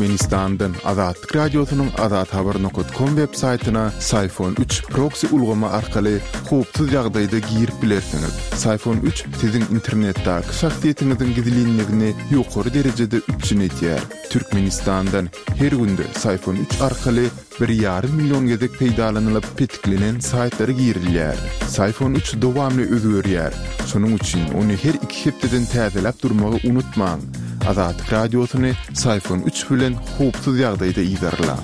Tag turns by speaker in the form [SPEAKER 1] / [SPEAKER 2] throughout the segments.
[SPEAKER 1] Türkmenistandan Azatlyk Radiosynyň azathabar nokat kom web saýtyna Syfon üç proksi ulgamy arkaly howpsuz ýagdaýda girip bilersiňiz. Syfon üç siziň internetdäki şahsyýetiňiziň gizlinligini ýokary derejede üpjün edýär. Türkmenistandan her günde Syfon üç arkaly bir ýarym million gezek peýdalanylyp petiklenen saýtlara girilýär. Syfon üç dowamly özgerýär. Şonuň üçin ony her iki hepdeden täzeläp durmagy unutmaň. Azatlyk Radiosyny Syfon üç bilen howpsuz ýagdaýda yzarlaň.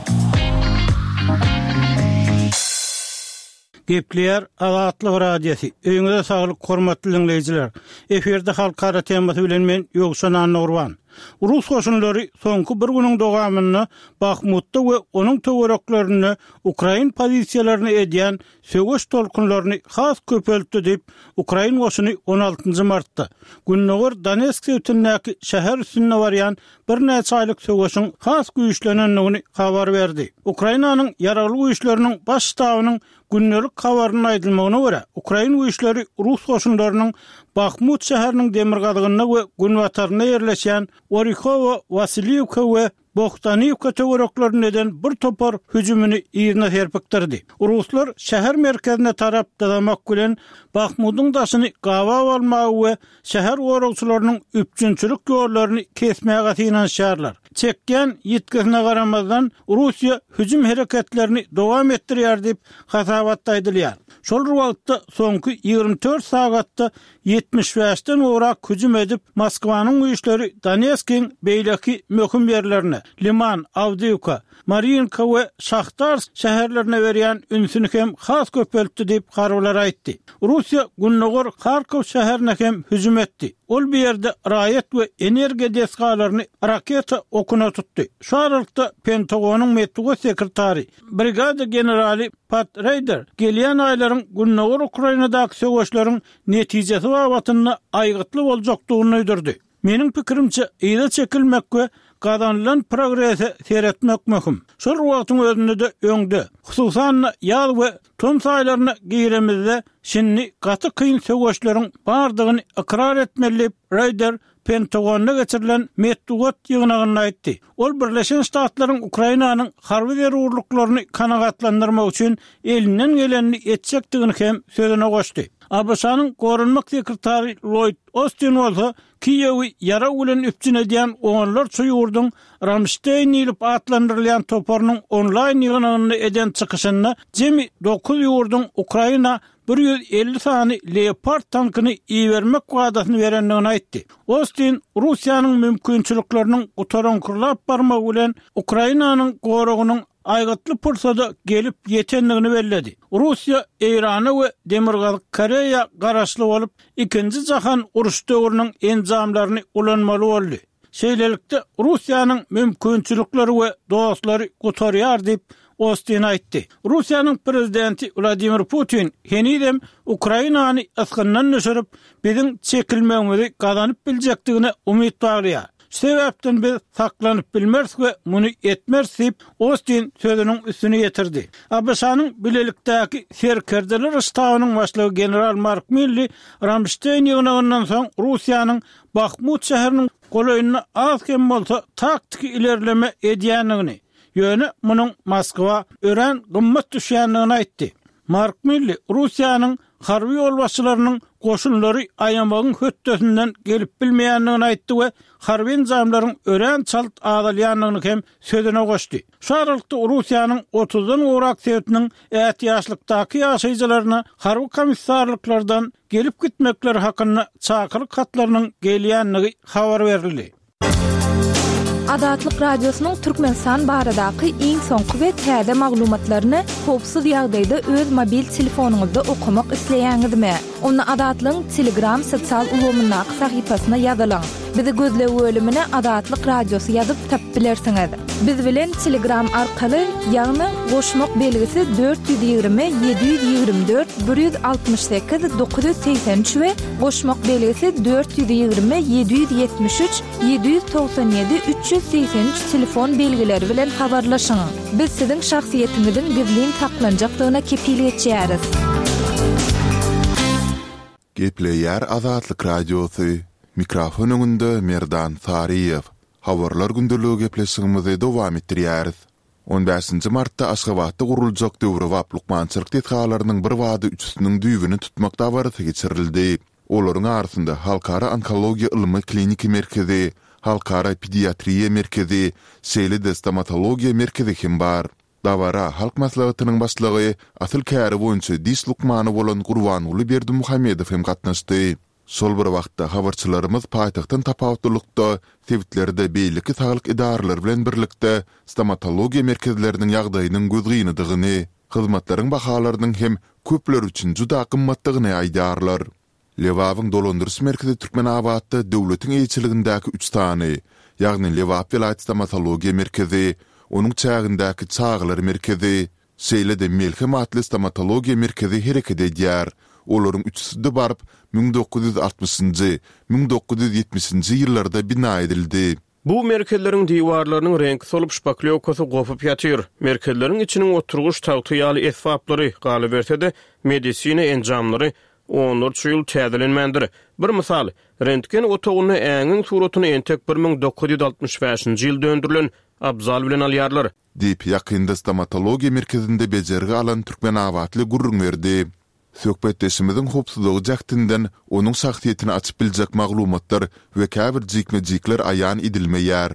[SPEAKER 2] Gepleýär Azatlyk Radiosy. Öýüňize saglyk hormatly diňleýjiler. Efirde halkara temasy bilen men Ýowşan Annagurban. Rus goşunlary soňky bir günüň dowamynda Bahmutda we onuň töwereklerinde ukrain pozisiýalaryna edýän söweş tolkunlaryny has köpeltdi diýip, ukrain goşuny on altynjy martda, gündogar Donetsk sebitindäki şäher üstünde barýan birnäçe aýlyk söweşiň has güýçlenendigini habar berdi. Ukrainanyň Ýaragly Güýçleriniň Baş ştabynyň gündelik habarynda aýdylmagyna görä, ukrain güýçleri rus goşunlarynyň Bahmut şäheriniň demirgazygynda we günbatarynda ýerleşýän Orihowo-Wasiliwka we Bohdaniwka töwereklerinde eden bir topar hüjümini yzyna serpikdirdi. Ruslar şäher merkezine tarap dyzamak bilen, Bahmudyň daşyny gabap almaga we şäher goragçylarynyň üpjünçilik ýollaryny kesmäge synanyşýarlar. Çekýän ýitgisine garamazdan, Russiýa hüjüm hereketlerini dowam etdirýär diýip, hasabatda aýdylýar. Şol bir wagtda, soňky 24 sagatda 75-den gowrak hüjüm edip, Moskwanyň güýçleri Donetskiň beýleki möhüm ýerlerine, Liman, Awdiýwka, Marýinka we Şahtarsk şäherlerine berýän ünsüni hem has köpeltdi diýip, harbylar aýtdy. Russiýa gündogar Harkow şäherine hem hüjüm etdi. Ol bu ýerde raýat we energiýa desgalaryny raketa okuna tutdy. Şu aralykda, Pentagonyň metbugat sekretary, brigada generaly Pat Reýder gelýän aýlaryň gündogar Ukrainadaky söweşleriň netijesi babatynda aýgytly boljakdygyny duýdurdy. Meniň pikirimçe, yza çekilmek we gazanylan progrese seretmek möhüm. Şol bir wagtyň özünde-de öňde, hususan-da, ýaz we tomus aýlaryna giremizde şindi gaty kyn söweşleriň bardygyny ykrar etmeli diýip, Reýder Pentagonda geçirilen metbugat ýygnagynda aýtdy. Ol Birleşen Ştatlaryň Ukrainanyň harby zerurlyklaryny kanagatlandyrmak üçin elinden gelenini etjekdigini hem sözüne goşdy. ABŞ-nyň goranmak sekretary Lloýd Ostin bolsa Kiýewi ýarag bilen üpjün edýän onlarça ýurduň Ramşteýn diýlip atlandyrylýan toparynyň onlaýn ýygnagynda eden çykyşynda jemi dokuz ýurduň Ukraina 150 sany Leopard tankyny ibermek wadasyny berendigini aýtdy. Ostin Russiýanyň mümkinçilikleriniň gutaraňkyrlap barmagy bilen Ukrainanyň goragynyň aýgytly pursada gelip ýetendigini belledi. Russiýa Eýrana we Demirgazyk Koreýa garaşly bolup, Ikinji jahan uruş döwrüniň enjamlaryny ulanmaly boldy. Şeýlelikde, Russiýanyň mümkinçilikleri we dostlary gutarýar diýip, Ostin aýtdy. Russiýanyň prezidenti Wladimir Putin henizem Ukrainany ysgyndan düşürip, biziň çekilmegimizi gazanyp biljekdigine umyt baglaýar. Şu sebäpden biz saklanyp bilmeris we muny etmeris diýip, Ostin sözüniň üstüni ýetirdi. ABŞ-nyň Bilelikdäki serkerdeler ştabynyň başlygy general Mark Milli Ramşteýn ýygnagyndan soň Russiýanyň Bahmut şäheriniň golaýynda az-kem bolsa taktiki ilerleme edýändigini, ýöne munuň Moskwa örän gymmat düşýändigini aýtdy. Mark Milli Russiýanyň harby ýolbaşçylarynyň goşunlary aýamagyň hötdesinden gelip bilmeýändigini aýtdy we harby enjamlaryň örän çalt azalýandygyny hem sözüne goşdy. Şu aralykda Russiýanyň otuzdan gowrak sebitiniň ätiýaçlykdaky ýaşaýjylaryna harby komissarlyklardan gelip-gitmekleri hakynda çakylyk hatlarynyň gelýändigi habar berildi.
[SPEAKER 3] Azatlyk Radiosynyň Türkmenistan baradaky iň soňky we täze maglumatlaryny howpsuz ýagdaýda öz mobil telefonyňyzda okamak isleýäňizmi? Onda Azatlygyň Telegram sosial ulgamyndaky sahypasyna ýazylyň. Bizi gözleg bölümine Azatlyk Radiosy ýazyp tapyp bilersiňiz. Biz bilen Telegram arkaly, ýagny goşmak belgisi 420 724 168 983 we goşmak belgisi 420 773 797 383 telefon belgileri bilen habarlaşyň. Biz siziň şahsyýetiňiziň gizlin saklanjakdygyna kepil geçýäris.
[SPEAKER 1] Gepleýär Azatlyk Radiosy, Mikrofon öňünde Merdan Saryýew. Habarlar gündeligi gepleşigimizi dowam etdirýäris. On bäşinji martda Aşgabatda guruljak döwrebap lukmançylyk desgalarynyň birbada üçüsiniň düýbüni tutmak dabarasy geçirildi. Olaryň arasynda Halkara onkologiýa ylmy-kliniki merkezi, Halkara pediatriýa merkezi, şeýle-de stomatologiýa merkezi hem bar. Dabara Halk Maslahatynyň Başlygy, asyl käri boýunça diş lukmany bolan Gurbanguly Berdimuhamedow hem gatnaşdy. Şol bir wagtda, habarçylarymyz paýtagtdan tapawutlylykda, sebitlerde beýleki saglyk edaralary bilen birlikde stomatologiýa merkezleriniň ýagdaýynyň gözgynydygyny, hyzmatlaryň bahalarynyň hem köpler üçin juda gymmatdygyny aýdýarlar. Lebabyň dolandyryş merkezi Türkmenabatda döwletiň eýeçiligindäki üç sany, ýagny Lebap welaýat stomatologiýa merkezi, onuň çägindäki çagalar merkezi, şeýle-de Melhem atly stomatologiýa merkezi hereket edýär. Olaryň üçüsi-de baryp, 1960-njy, 1970-nji ýyllarda bina edildi.
[SPEAKER 4] Bu merkezleriň diwarlarynyň reňki solup, şpaklýowkasy gopup ýatyr. Merkezleriň içiniň oturgyç tagty ýaly esbaplary, galyberse-de, medisina enjamlary onlarça ýyl täzelenmändir. Bir mysal, rentgen otagynda äňiň suratyny entek 1965-nji ýylda öndürilen abzal bilen alýarlar.
[SPEAKER 1] Diýip, ýakynda stomatologiýa merkezinde bejergi alan türkmenabatly gürrüň berdi. Söhbetdeşimiziň howpsuzlygy jähtinden onuň şahsyýetini açyp biljek maglumatlar we käbir jikme-jikler aýan edilmeýär.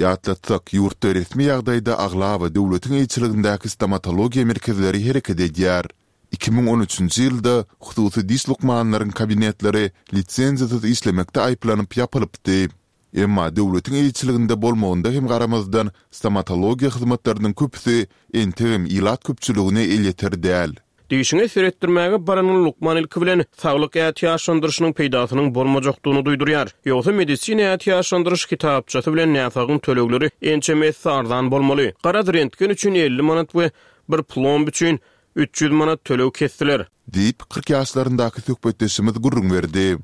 [SPEAKER 1] Ýatlatsak, ýurtda resmi ýagdaýda aglaba döwletiň eýeçiligindäki stomatologiýa merkezleri hereket edýär. 2013-nji ýylda hususy diş lukmanlaryň kabinetleri lisenziýasyz işlemekde aýyplanyp ýapylypdy. Emma döwletiň eýeçiliginde bolmagynda hem garamazdan, stomatologiýa hyzmatlarynyň köpüsi entegem ilat köpçüligine elýeter däl.
[SPEAKER 4] Dişiňe seretdirmäge baranyň lukman ilki bilen saglyk ätiýaçlandyryşynyň peýdasynyň bolmajakdygyny duýdurýar. Ýogsa medisina ätiýaçlandyryş kitapçasy bilen näsagyň tölegleri ençeme esse arzan bolmaly. Garaz, rentgen üçin 50 manat we bir plomb üçin 300 manat töleg kesdiler.
[SPEAKER 1] Diýip, 40 ýaşlaryndaky söhbetdeşimiz gürrüň berdi.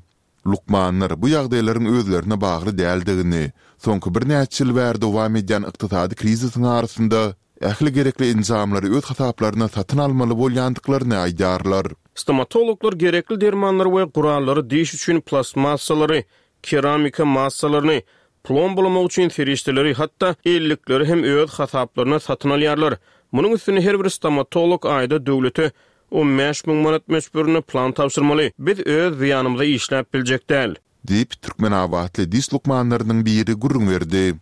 [SPEAKER 1] Lukmanlar bu ýagdaýlaryň özlerine bagly däldigini, soňky birnäçe ýyl bäri dowam edýän ykdysady krizisiň arasynda ähli gerekli enjamlary öz hasaplaryna satyn almaly bolýandyklaryny aýdýarlar.
[SPEAKER 4] Stomatologlar gerekli dermanlary we gurallary diş üçin plastmassalary, keramika massalaryny, plombalamak üçin serişdeleri, hatda ellikleri hem öz hasaplaryna satyn alýarlar. Munuň üstüne her bir stomatolog aýda döwlete 15 000 manat möçberinde plan tabşyrmaly. Biz öz zyýanymyza işläp biljek däl.
[SPEAKER 1] Diýip, türkmenabatly diş lukmanlarynyň biri gürrüň berdi.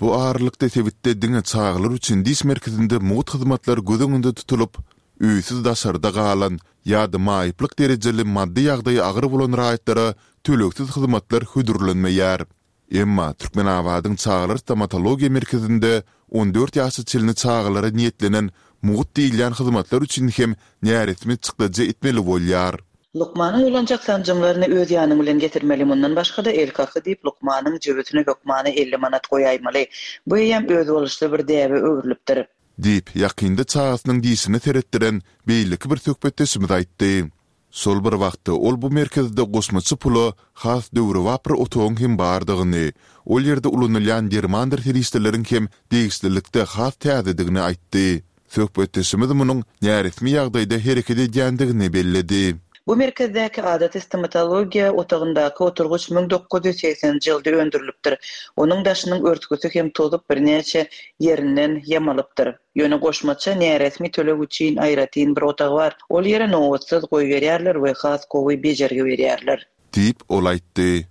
[SPEAKER 1] Bu aralykda sebitde diňe çagalar üçin diş merkezinde mugt hyzmatlar göz öňünde tutulyp, öýsüz daşarda galan ýa-da maýyplyk derejeli maddy ýagdaýy agyr bolan raýatlara tölegsiz hyzmatlar hödürlenmeýär. Emma Türkmenabadyň çagalar stomatologiýa merkezinde 14 ýaşa çenli çagalara niýetlenen mugt diýilýän hyzmatlar üçin hem näresmi çykdajy etmeli bolýar.
[SPEAKER 5] Lukmana ulanjak sanjymlaryny öz ýanyň bilen getirmeli, mundan başga-da el kaky diýip lukmanyň jübüsine hökmany 50 manat goýaýmaly. Bu eýýäm özboluşly bir däbe öwrülipdir.
[SPEAKER 1] Diýip, ýakynda çagasynyň dişine seretdiren beýleki bir söhbetdeşimiz aýtdy. Şol bir wagtda, ol bu merkezde goşmaça pula has döwrebap bir otagyň hem bardygyny, ol ýerde ulanylýan dermandyr serişdeleriň hem degişlilikde has täzedigini aýtdy. Söhbetdeşimiz munuň näresmi ýagdaýda hereket edýändigini belledi.
[SPEAKER 5] Bu merkezdäki adaty stomatologiýa otagyndaky oturgyç 1980-nji ýylda öndürilipdir. Onuň daşynyň örtgüsi hem tozup, birnäçe ýerinden ýamalypdyr. Ýöne goşmaça näresmi töleg üçin aýratyn bir otag bar. Ol ýere nobatsyz goýberýärler we has gowy bejergi berýärler.
[SPEAKER 1] Diýip, ol aýtdy.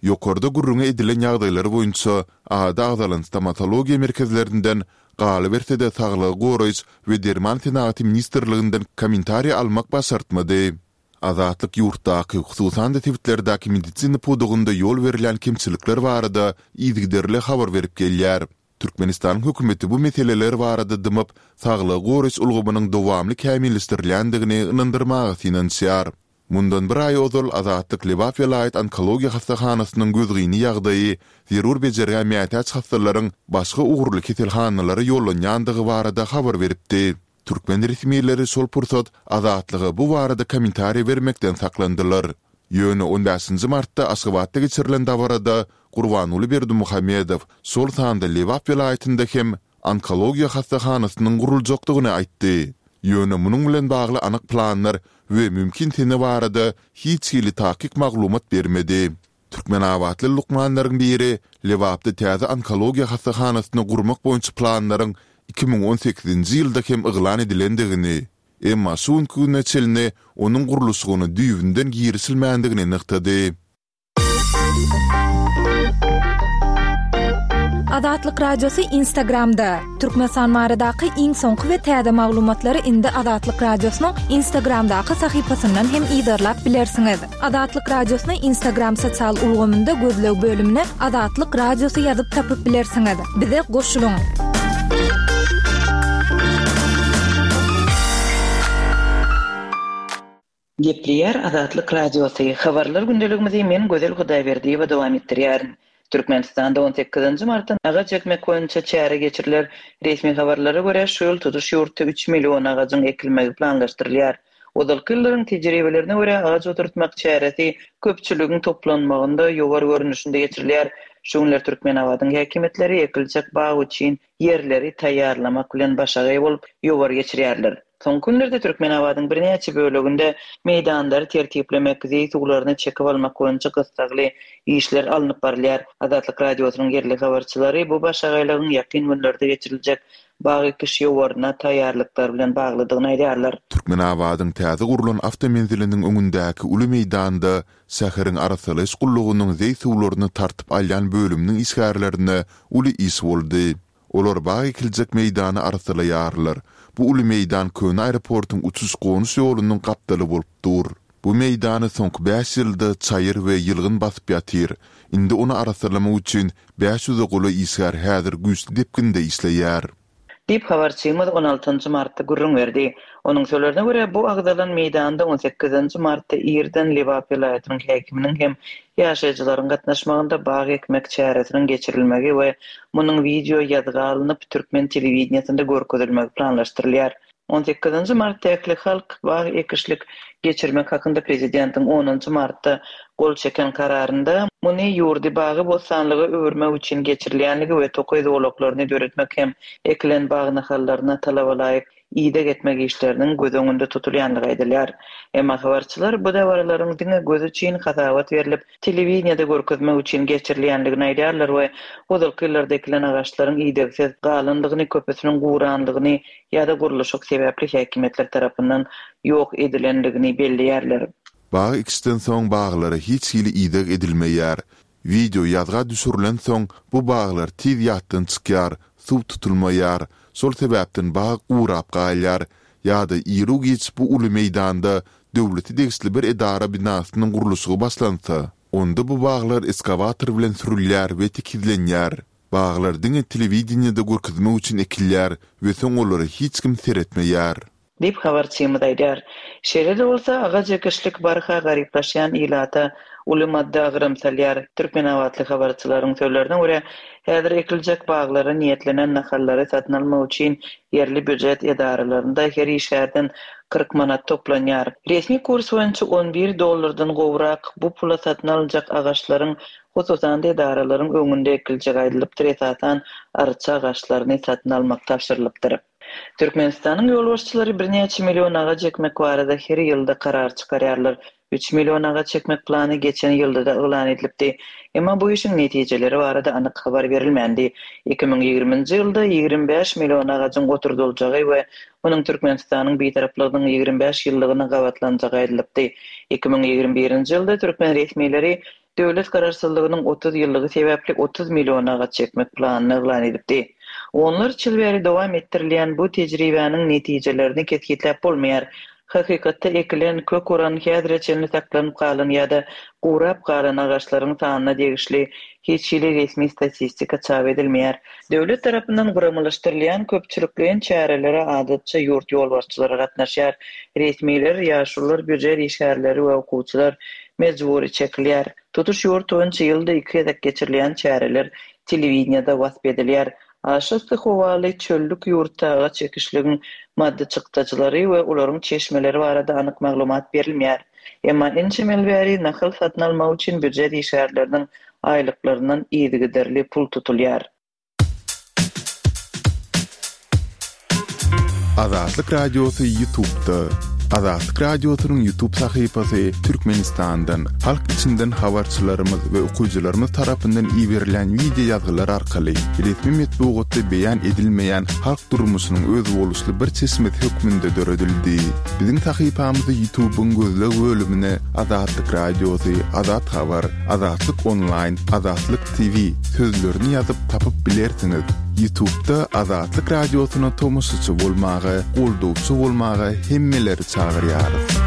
[SPEAKER 1] Ýokarda gürrüňi edilen ýagdaýlar boýunça ady agzalan stomatologiýa merkezlerinden, galyberse-de Saglygy goraýyş we derman senagaty ministrliginden kommentariý almak başartmady. Azatlyk ýurtdaky, hususan-da sebitlerdäki medisina pudagynda ýol berilýän kemçilikler barada yzygiderli habar berip gelýär. Türkmenistanyň hökümeti bu meseleler barada dymyp, saglygy goraýyş ulgamynyň dowamly kämilleşdirilýändigini ynandyrmaga synanyşýar. Mundan bir aý ozal Azatlyk Lebap welaýat onkologiýa hassahanasynyň gözgyny ýagdaýy, zerur bejergä mätäç hassalaryň başga ugurly keselhanalara ýollanýandygy barada habar beripdi. Türkmen resmileri şol pursat Azatlyga bu barada kommentariý bermekden saklandylar. Ýöne on bäşinji martda Aşgabatda geçirilen dabarada Gurbanguly Berdimuhamedow şol sanda Lebap welaýatynda hem onkologiýa hassahanasynyň guruljakdygyny aýtdy. Ýöne munuň bilen bagly anyk planlar we mümkin sene barada hiç hili takyk maglumat bermedi. Türkmenabatly lukmanlaryň biri. Lebapda täze onkologiýa hassahanasyny gurmak boýunça planlaryň 2018-nji ýylda hem yglan edilendigini, emma şu günki güne çenli onuň gurluşygyna düýbünden girişilmändigini nygtady.
[SPEAKER 3] Azatlyk Radiosy Instagramda, Türkmenistan baradaky iň soňky we täze maglumatlary indi Azatlyk Radiosynyň Instagramdaky sahypasyndan hem yzarlap bilersiňiz. Azatlyk Radiosyny Instagram sosial ulgamynda gözleg bölümine Azatlyk Radiosy ýazyp tapyp bilersiňiz. Bize goşulyň!
[SPEAKER 5] Gepleýär Azatlyk Radiosy, Habarlar gündeligimizi men Gözel Hudaýberdiýewa dowam etdirýärin. Türkmenistanda on sekizinji martdan agaç ekmek boýunça çäre geçiriler. Resmi habarlara görä, şu ýyl tutuş ýurtda üç million agajyň ekilmegi planlaşdyrylýar. Ozalky ýyllaryň tejribelerine görä, agaç oturtmak çäresi köpçüligiň toplanmagynda ýowar görnüşinde geçirilýär. Şu günler Türkmenabadyň häkimiýetleri ekiljek bag üçin ýerleri taýýarlamak bilen başagaý bolup, ýowar geçirýärler. Soňky günlerde Türkmenabadyň birnäçe böleginde meýdanlary tertiplemek, zeý suwlaryny çekip almak boýunça gyssagly işler alnyp barylýar. Azatlyk Radiosynyň ýerli habarçylary bu başagaýlygyň ýakyn günlerde geçiriljek bag ekiş ýowaryna taýýarlyklar bilen baglydygyny aýdýarlar.
[SPEAKER 1] Türkmenabadyň täze gurlan awtomenziliniň öňündäki uly meýdanda şäheriň arassalaýyş gullugynyň zeý suwlaryny tartyp alýan bölüminiň işgärlerine uly iş boldy. Olar bag ekiljek meýdany arassalaýarlar. Bu uly meýdan köne aeroportuň uçuş-gonuş ýolunyň gapdaly bolup dur. Bu meýdany soňky bäş ýylda çaýyr we ýylgyn basyp ýatyr. Indi ony arassalamak üçin bäş ýüze golaý işgär häzir güýçli depginde işleýär.
[SPEAKER 5] Diýip, habarçymyz on altynjy martda gürrüň berdi. Onuň sözlerine görä, bu agzalan meýdanda on sekizinji martda irden Lebap welaýatynyň häkiminiň hem ýaşaýjylaryň gatnaşmagynda bag ekmek çäresiniň geçirilmegi we munuň wideo ýazga alnyp, türkmen telewideniýesinde görkezilmegi planlaşdyrylýar. On sekizinji martda ählihalk bag ekişlik geçirmek hakynda prezidentiň onunjy martda gol çeken kararynda muny ýurdy bagy-bossanlyga öwürmek üçin geçirilýänligi we tokaý zolaklaryny döretmek hem ekilen bag nahallaryna talabalaýyk ideg etmek işleriniň göz öňünde tutulýanlygy aýdylýar. Emma habarçylar bu dabaralaryň diňe göz üçin hasabat berlip, telewideniýede görkezmek üçin geçirilýänligini aýdýarlar we ozalky ýyllarda ekilen agaçlaryň idegsiz galanlygyny, köpüsiniň guranlygyny ýa-da gurluşyk sebäpli häkimiýetler tarapyndan ýok edilenligini belleýärler.
[SPEAKER 1] Bag ekişden soň baglara hiç hili ideg edilmeýär. Wideo ýazga düşürilensoň bu baglar tiz ýatdan çykýar, suw tutulmaýar. Şol sebäpden bag gurap galýar. Ýa-da iru-giç bu uly meýdanda döwlete degişli bir edara binasynyň gurluşygy başlansa, onda bu baglar eskawator bilen sürülýär we tekizlenýär. Baglar diňe telewideniýede görkezmek üçin ekilýär we soň olara hiç kim seretmeýär.
[SPEAKER 5] Diýip, habarçymyz aýdýar. Şeýle-de bolsa, agaç ekişlik barha garyplaşýan ilata uly maddy agram salýar. Türkmenabatly habarçylaryň sözlerine görä, häzir ekiljek baglara niýetlenen nahallary satyn almak üçin ýerli býujet edaralarynda her işgärden 40 manat toplanýar. Resmi kurs boýunça on bir dollardan gowrak bu pula satyn alynjak agaçlaryň Hususan-da, edaralaryň öňünde ekiljek aýdylypdyr, esasan, arça agaçlaryny satyn almak tabşyrylypdyr. Türkmenistanyň ýolbaşçylary birnäçe million agaç ekmek barada her ýylda karar çykarýarlar. Üç million agaç ekmek plany geçen ýylda-da yglan edilipdi. Emma bu işiň netijeleri barada anyk habar berilmändi. 2020-nji ýylda 25 million agajyň oturdyljagy we munuň Türkmenistanyň Bitaraplygynyň 25 ýyllygyna gabatlanjagy aýdylypdy. 2021-nji ýylda türkmen resmileri Döwlet Garaşsyzlygynyň 30 ýyllygy sebäpli 30 million agaç ekmek planyny yglan edipdi. Onlarça ýyl bäri dowam etdirilýän bu tejribäniň netijelerini kesgitläp bolmaýar. Hakykatda ekilen, kök uran, häzire çenli saklanyp galan ýa-da gurap galan agaçlaryň sanyna degişli hiç hili resmi statistika çap edilmeýär. Döwlet tarapyndan guramalaşdyrylýan köpçülikleýin çärelere adatça ýurt ýolbaşçylary gatnaşýar. Resmiler, ýaşulular, býujet işgärleri we okuwçylar mejbury çekilýär. Tutuş ýurt boýunça ýylda iki gezek geçirilýän çäreler telewideniýede wasp edilýär. Aşa yssy howaly çöllük ýurtda agaç ekişligiň maddy çykdajylary we olaryň çeşmeleri barada anyk maglumat berilmeýär. Emma ençeme ýyl bäri nahal satyn almak üçin býujet işgärleriniň aýlyklaryndan yzygiderli pul tutulýar.
[SPEAKER 1] Azatlyk Radiosy YouTube'da. Azatlyk Radiosynyň YouTube sahypasy Türkmenistandan, halk içinden habarçylarymyz we okyjylarymyz tarapyndan iberilýän wideo ýazgylar arkaly resmi metbugatda beýan edilmeýän halk durmuşynyň özboluşly bir çeşmesi hökmünde döredildi. Biziň sahypamyzy YouTube-yň gözleg bölümine Azatlyk Radiosy, Azat Habar, Azatlyk Onlaýn, Azatlyk TV sözlerini ýazyp tapyp bilersiňiz. Ýutubda Azatlyk Radiosyna tomaşaçy bolmaga, goldawçy bolmaga hemmeleri çagyrýarys.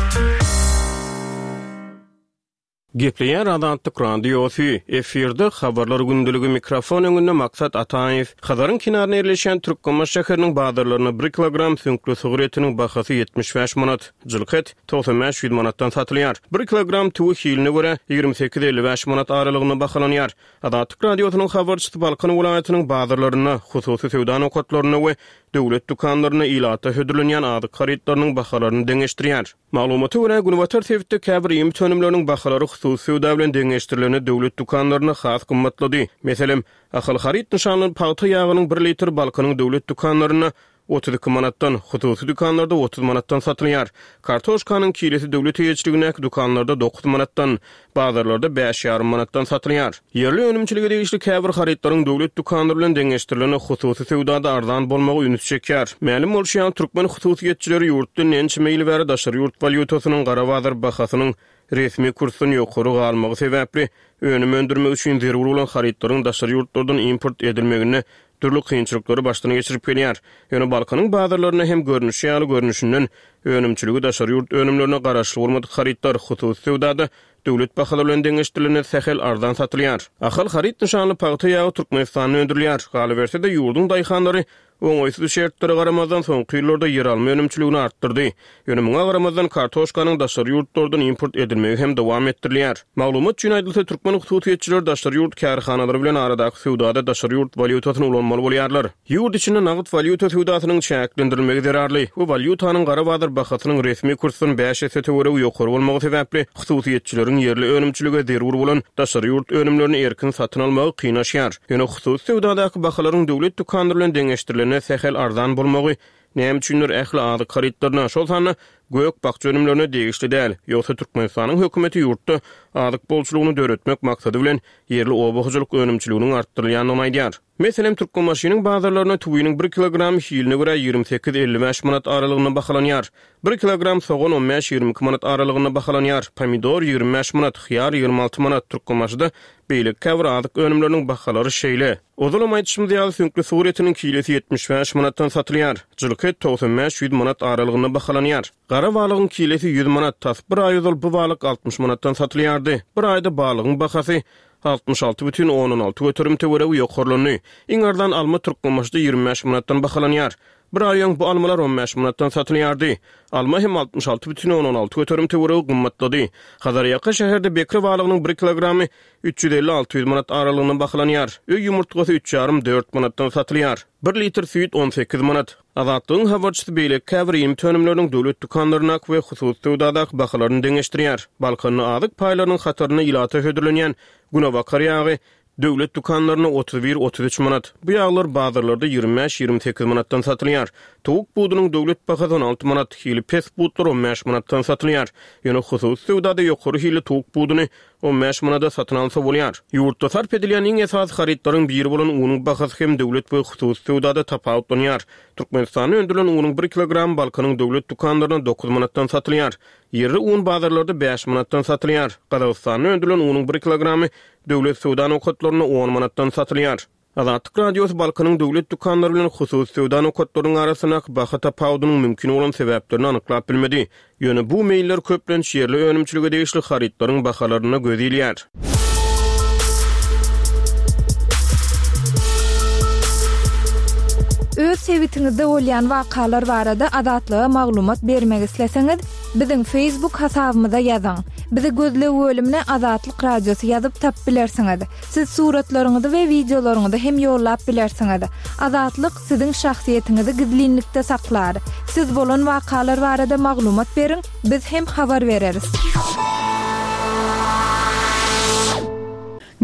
[SPEAKER 4] Gepleýär Azatlyk Radiosy, efirde Habarlar gündeligi mikrofon öňünde Maksat Ataýew. Hazaryň kenarynda ýerleşýän Türkmenbaşy şäheriniň bazarlarynda bir kilogram süňkli sygyr etiniň bahasy 75 manat, jylky et 95-ýüz manatdan satylýar. Bir kilogram tüwi hiline görä, 28-55 manat aralygynda bahalanýar. Azatlyk Radiosynyň habarçysy Balkan welaýatynyň bazarlarynda, hususy söwda nokatlarynda we döwlet dükanlarynda ilata hödürlenýän azyk harytlarynyň bahalaryny deňeşdirýär. Maglumata görä, günbatar sebitde käbir iýmit önümleriniň bahalary hususy söwda bilen deňeşdirilende döwlet dükanlarynda has gymmatlady. Meselem, Ahal haryt nyşanly pagta ýagynyň bir litri Balkanyň döwlet dükanlarynda 32 manatdan, hususy dükanlarda 30 manatdan satylýar. Kartoşkanyň kilesi döwlet eýeçiligindäki dükanlarda dokuz manatdan, bazarlarda bäş ýarym manatdan satylýar. Ýerli önümçilige degişli käbir harytlaryň döwlet dükanlary bilen deňeşdirilende hususy söwdada arzan bolmagy ünsi çekýär. Mälim bolşy ýaly, türkmen hususyýetçileri ýurtda ençeme ýyl bäri daşary ýurt walýutasynyň gara bazar bahasynyň resmi kursdan ýokary galmagy sebäpli, önüm öndürmek üçin zerur bolan harytlaryň daşary ýurtlardan import edilmeginde dürli kynçylyklary başdan geçirip gelýär. Ýöne Balkanyň bazarlarynda hem görnüşi ýaly görnüşinden önümçiligi daşary ýurt önümlerine garaşly bolmadyk harytlar hususy söwdada döwlet bahalary bilen deňeşdirilende sähel arzan satylýar. Ahal haryt nyşanly pagta ýagy Türkmenistanda öndürilýär. Galyberse-de, ýurduň daýhanlary Oňaýsyz şertlere garamazdan, soňky ýyllarda ýeralma önümçiligini artdyrdy. Ýöne muňa garamazdan, kartoşkanyň daşary ýurtlardan import edilmegi hem dowam etdirilýär. Maglumat üçin aýdylsa, türkmen hususyýetçileri daşary ýurt kärhanalary bilen aradaky söwdada daşary ýurt walýutasyny ulanmaly bolýarlar. Ýurt içinde nagt walýuta söwdasynyň çäklendirilmegi zerarly we walýutanyň gara bazar bahasynyň resmi kursdan bäş esse töweregi ýokary bolmagy sebäpli, hususyýetçileriň ýerli önümçilige zerur bolan daşary ýurt önümlerini erkin satyn almagy kynlaşýar. Ýöne hususy söwdadaky bahalaryň döwlet dükanlary bilen deňeşdirilende sähel arzan bolmagy näme üçindir ähli azyk harytlaryna, şol sanda gök-bakja önümlerine degişli däl. Ýogsa Türkmenistanyň hökümeti ýurtda azyk bolçulygyny döretmek maksady bilen ýerli oba hojalyk önümçiliginiň artdyrylýandygyny aýdýar. Meselem, Türkmenbaşynyň bazarlarynda tüwiniň bir kilogramy hiline görä 28, 55 manat aralygynda bahalanýar. Bir kilogram sogan on bäş, 22 manat aralygynda bahalanýar. Pomidor 25 manat, hyýar 26 manat. Türkmenbaşyda beýleki käbir azyk önümleriniň bahalary şeýle. Ozalam aýdyşymyz ýaly, süňkli sygyr etiniň kilesi 75 manatdan satylýar. Jylky et 95, 100 manat aralygynda bahalanýar. Gara balygyň kilesi 100 manat, tas bir aý ozal bu balyk 60 manatdan satylýardy. Bir aýda balygyň bahasy 66,6 töweregi ýokarlandy. Iň arzan alma Türkmenbaşyda 25 manatdan bahalanýar. Bir aý öň bu almalar 15 manatdan satylýardy. Alma hem 66,6 töweregi gymmatlady. Hazarýaka şäherde bekre balygynyň bir kilogramy 350-600 manat aralygynda bahalanýar. Öý ýumurtgasy üç ýarym, dört manatdan satylýar. Bir litr süýt 18 manat. Azatlygyň habarçysy beýleki käbir iýmit önümleriniň döwlet dükanlaryndaky we hususy söwdadaky bahalaryny deňeşdirýär. Balkanda azyk paýlarynyň hatarynda ilata hödürlenýän günebakar ýagy döwlet dükanlarynda 31, 33 manat. Bu ýaglar bazarlarda 25, 28 manatdan satylýar. Towuk budunyň döwlet bahasy 16 manat, hili pes butlar 15 manatdan satylýar. Ýöne hususy söwdada ýokary hilli towuk buduny 15 manada satyn alsa bolýar. Ýurtda sarp edilýän iň esasy harytlaryň biri bolan unuň bahasy hem döwlet we hususy söwdada tapawutlanýar. Türkmenistanda öndürilen unuň bir kilogramy Balkanyň döwlet dükanlarynda dokuz manatdan satylýar. Ýerli un bazarlarda bäş manatdan satylýar. Gazagystanda öndürilen unuň bir kilogramy döwlet söwda nokatlarynda on manatdan satylýar. Azatlyk Radiosy Balkanyň döwlet dükanlary bilen hususy söwda nokatlarynyň arasyndaky baha tapawudynyň mümkin bolan sebäplerini anyklap bilmedi. Ýöne bu meýiller köplenç ýerli önümçilige degişli harytlaryň bahalarynda göz ilýär.
[SPEAKER 3] Öz sebitiňizde bolýan wakalar barada Azatlyga maglumat bermek isleseňiz, biziň Facebook hasabymyza ýazyň. Bizi gözleg bölümine Azatlyk Radiosy ýazyp tapyp bilersiňiz. Siz suratlaryňyzy we wideolaryňyzy hem ýollap bilersiňiz. Azatlyk siziň şahsyýetiňizi gizlinlikde saklar. Siz bolan wakalar barada maglumat beriň, biz hem habar bereris.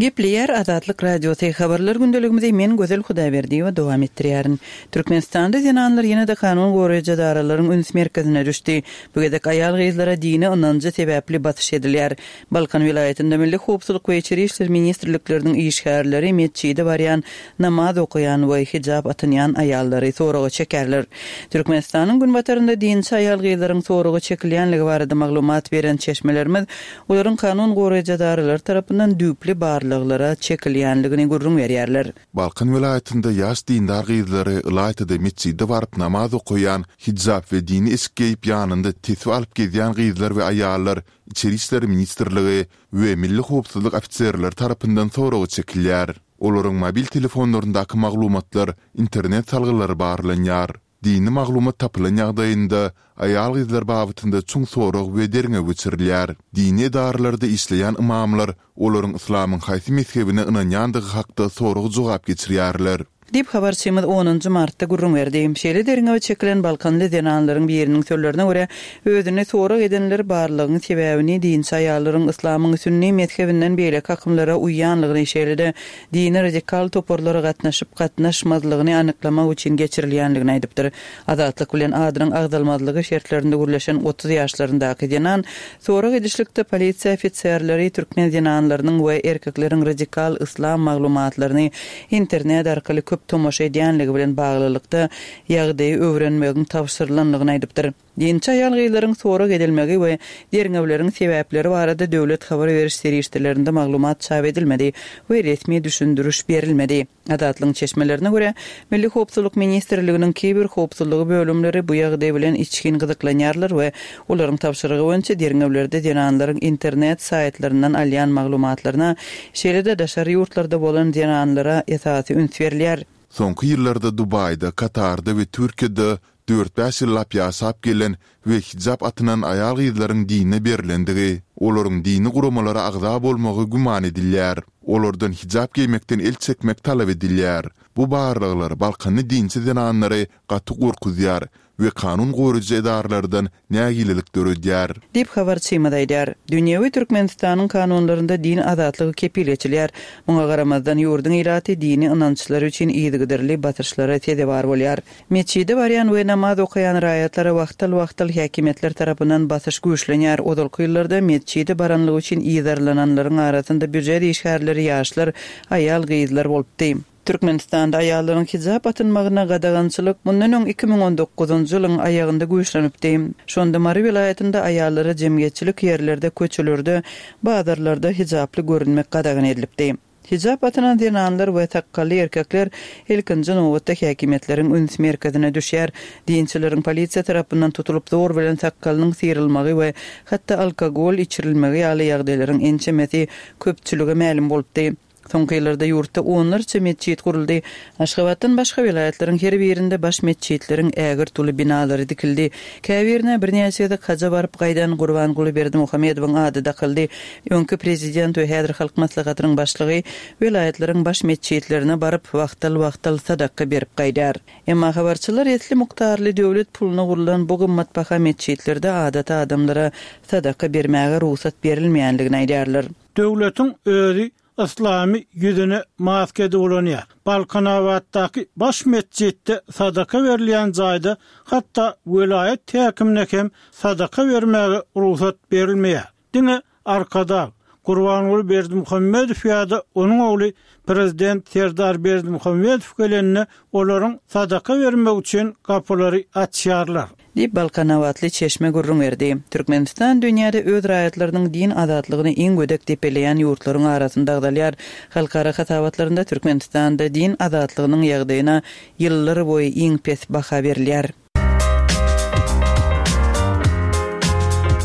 [SPEAKER 6] Gepleýär Azatlyk Radiosy, Habarlar gündeligimizi men Gözel Hudaýberdiýewa dowam etdirýärin. Türkmenistanda zenanlar ýene-de kanun goraýjy edaralaryň üns merkezine düşdi. Bu gezek aýal-gyzlara dini ynanjy sebäpli basyş edilýär. Balkan welaýatynda Milli howpsuzlyk we Içeri işler ministrlikleriniň işgärleri metjide barýan, namaz okaýan we hijap atynýan aýallary soraga çekerler. Türkmenistanyň günbatarynda dinçi aýal-gyzlaryň soraga çekilýänligi barada maglumat beren çeşmelerimiz olaryň kanun goraýjy edaralary tarapyndan düýpli barlaglara çekilýänligini gürrüň berýärler.
[SPEAKER 1] Balkan welaýatynda ýaş dindar gyzlary, ylaýta-da metjide baryp namaz okaýan, hijap we dini eşik geýip ýanynda tesbi alyp gezýän gyzlar we aýallar Içeri işler ministrligi we Milli howpsuzlyk ofiserleri tarapyndan soraga çekilýär. Olaryň mobil telefonlaryndaky maglumatlar, internet salgylary barlanýar. Dini maglumat tapylan ýagdaýynda, aýal-gyzlar babatynda çuň sorag we derňew geçirilýär. Dini edaralarda işleýän ymamlar olaryň yslamyň haýsy mezhebine ynanýandygy hakda sorag-jogap geçirýärler.
[SPEAKER 6] Diýip, habarçymyz onunjy martda gürrüň berdi. Şeýle derňewe çekilen balkanly zenanlaryň biriniň sözlerine görä, özüni sorag edenler barlagyň sebäbini dinçi aýallaryň yslamyň sünni mezhebinden beýleki akymlara uýýanlygyny, şeýle-de dini radikal toparlara gatnaşyp-gatnaşmazlygyny anyklamak üçin geçirilýänligini aýdypdyr. Azatlyk bilen adynyň agzalmazlygy şertlerinde gürleşen 30 ýaşlaryndaky zenan sorag edişlikde polisiýa ofiserleri türkmen zenanlarynyň we erkekleriň radikal yslam maglumatlaryny internet arkaly köp tomaşa edýänligi bilen baglylykda ýagdaýy öwrenmegiň tabşyrylandygyny aýdypdyr. Dinçi aýal-gyzlaryň sorag edilmegi we derňewleriň sebäpleri barada döwlet habar beriş serişdelerinde maglumat çap edilmedi we resmi düşündiriş berilmedi. Azatlygyň çeşmelerine görä, Milli howpsuzlyk ministrliginiň kiber howpsuzlygy bölümleri bu ýagdaý bilen içgin gyzyklanýarlar we olaryň tabşyrygy boýunça derňewlerde zenanlaryň internet saýtlaryndan alýan maglumatlaryna, şeýle-de daşary ýurtlarda bolan zenanlara esasy üns berilýär.
[SPEAKER 1] Soňky ýyllarda Dubaýda, Katarda we Türkiýede dört-bäş ýyllap ýaşap gelen we hijap atynan aýal-gyzlaryň dine berlendigi, olaryň dini guramalara agza bolmagy güman edilýär. Olardan hijap geýmekden el çekmek talap edilýär. Bu barlaglar balkanly dinçi zenanlary gaty gorkuzýar we kanun goraýjy edaralardan nägilelik döredýär.
[SPEAKER 6] Diýip, habarçymyz aýdýar. Dünýewi Türkmenistanyň kanunlarynda din azatlygy kepil geçilýär. Muňa garamazdan, ýurduň ilaty dini ynançlary üçin yzygiderli basyşlara sezewar bolýar. Metjide barýan we namaz okaýan raýatlara wagtal-wagtal häkimiýetler tarapyndan basyş güýçlenýär. Ozalky ýyllarda metjide baranlygy üçin yzarlananlaryň arasynda býujet işgärleri, ýaşlar, aýal-gyzlar bolupdy. Türkmenistanda aýallaryň hijap atynmagyna gadagançylyk mundan öň 2019-njy ýylyň aýagynda güýçlenipdi. Şonda Mary welaýatynda aýallara jemgyýetçilik ýerlerde, köçelerde, bazarlarda hijaply görünmek gadagan edilipdi. Hijap atynan zenanlar we sakgally erkekler ilkinji nobatda häkimiýetleriň üns merkezine düşýär. Dinçileriň polisiýa tarapyndan tutulyp zor bilen sakgalynyň syrylmagy we hatda alkogol içirilmegi ýaly ýagdaýlaryň ençemesi köpçülige mälim bolupdy. Soňky ýyllarda ýurtda onlarça metjit guruldy. Aşgabatdan başga welaýatlaryň her birinde baş metjitleriň ägirt uly binalary dikildi. Käbirine birnäçe gezek haja baryp gaýdan Gurbanguly Berdimuhamedowyň ady dakyldy. Öňki prezident we häzir Halk Maslahatynyň başlygy welaýatlaryň baş metjitlerine baryp, wagtal-wagtal sadaka berip gaýdar. Emma habarçylar esli mukdarly döwlet puluna gurlan bu gymmatbaha metjitlerde adaty adamlara sadaka bermäge rugsat berilmeýändigini aýdýarlar.
[SPEAKER 2] Döwletiň özi yslamy ýüzüne maska edip ulanýar. Balkanabatdaky baş metjitde sadaka berilýän jaýda hatda welaýat häkimine hem sadaka bermäge rugsat berilmeýär. Diňe Arkadag, Gurbanguly Berdimuhamedow ýa-da onuň ogly prezident Serdar Berdimuhamedow gelende olaryň sadaka bermegi üçin gapylary açýarlar.
[SPEAKER 6] Diýip, balkanabatly çeşme gürrüň berdi. Türkmenistan dünýäde öz raýatlarynyň din azatlygyny iň gödek depeleýän ýurtlaryň arasynda agzalýar. Halkara hasabatlarynda Türkmenistanda din azatlygynyň ýagdaýyna ýyllar boýy iň pes baha berilýär.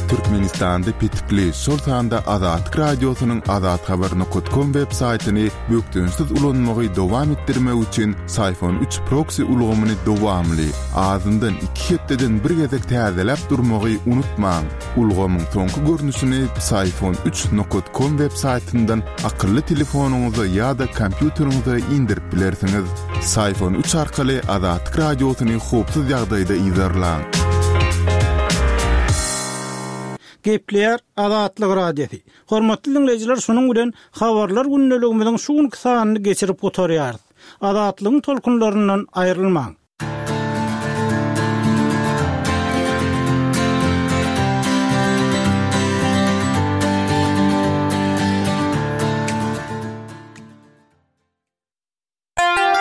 [SPEAKER 1] Türkmenistanda petikli, şol sanda Azatlyk Radiosynyň azathabar nokat kom web saýtyny bökdençsiz ulanmagy dowam etdirmek üçin Syfon üç proksi ulgamyny dowamly, azyndan iki hepdeden bir gezek täzeläp durmagy unutmaň. Ulgamyň soňky görnüşini Psiphon üç nokat kom web saýtyndan akylly telefonyňyza ýa-da kompýuteriňize indirip bilersiňiz. Psiphon üç arkaly Azatlyk Radiosyny howpsuz ýagdaýda yzarlaň.
[SPEAKER 2] Gepleýär Azatlyk Radiosy. Hormatly diňleýjiler şunuň bilen Habarlar gündeligimiziň şu günki sanyny geçirip gutarýarys. Azatlygyň tolkunlaryndan aýrylmaň.